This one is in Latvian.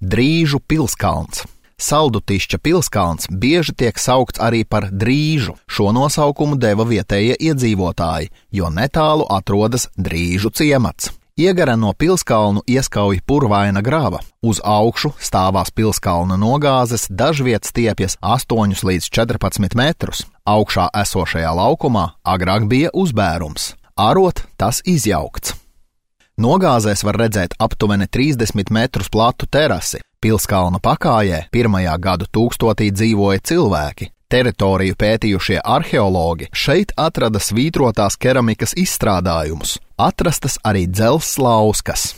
Drīžu pilskalns. Saldutišķa pilskalns bieži tiek saukts arī par Drīžu. Šo nosaukumu deva vietējie iedzīvotāji, jo netālu atrodas Drīžu ciemats. Iegara no pilskalnu ieskauj purvaina grava. Uz augšu stāvās pilskalna nogāzes, dažviet stiepjas 8 līdz 14 metrus. Augšā esošajā laukumā agrāk bija uzbērums. Arot tas izjaukts. Nogāzēs var redzēt aptuveni 30 metrus platu terasi. Pilskalna pakājē 1. gadu tūkstotī dzīvoja cilvēki. Teritoriju pētījušie arheologi šeit atrada svītrotās keramikas izstrādājumus. Atrastas arī dzelzs lauskas.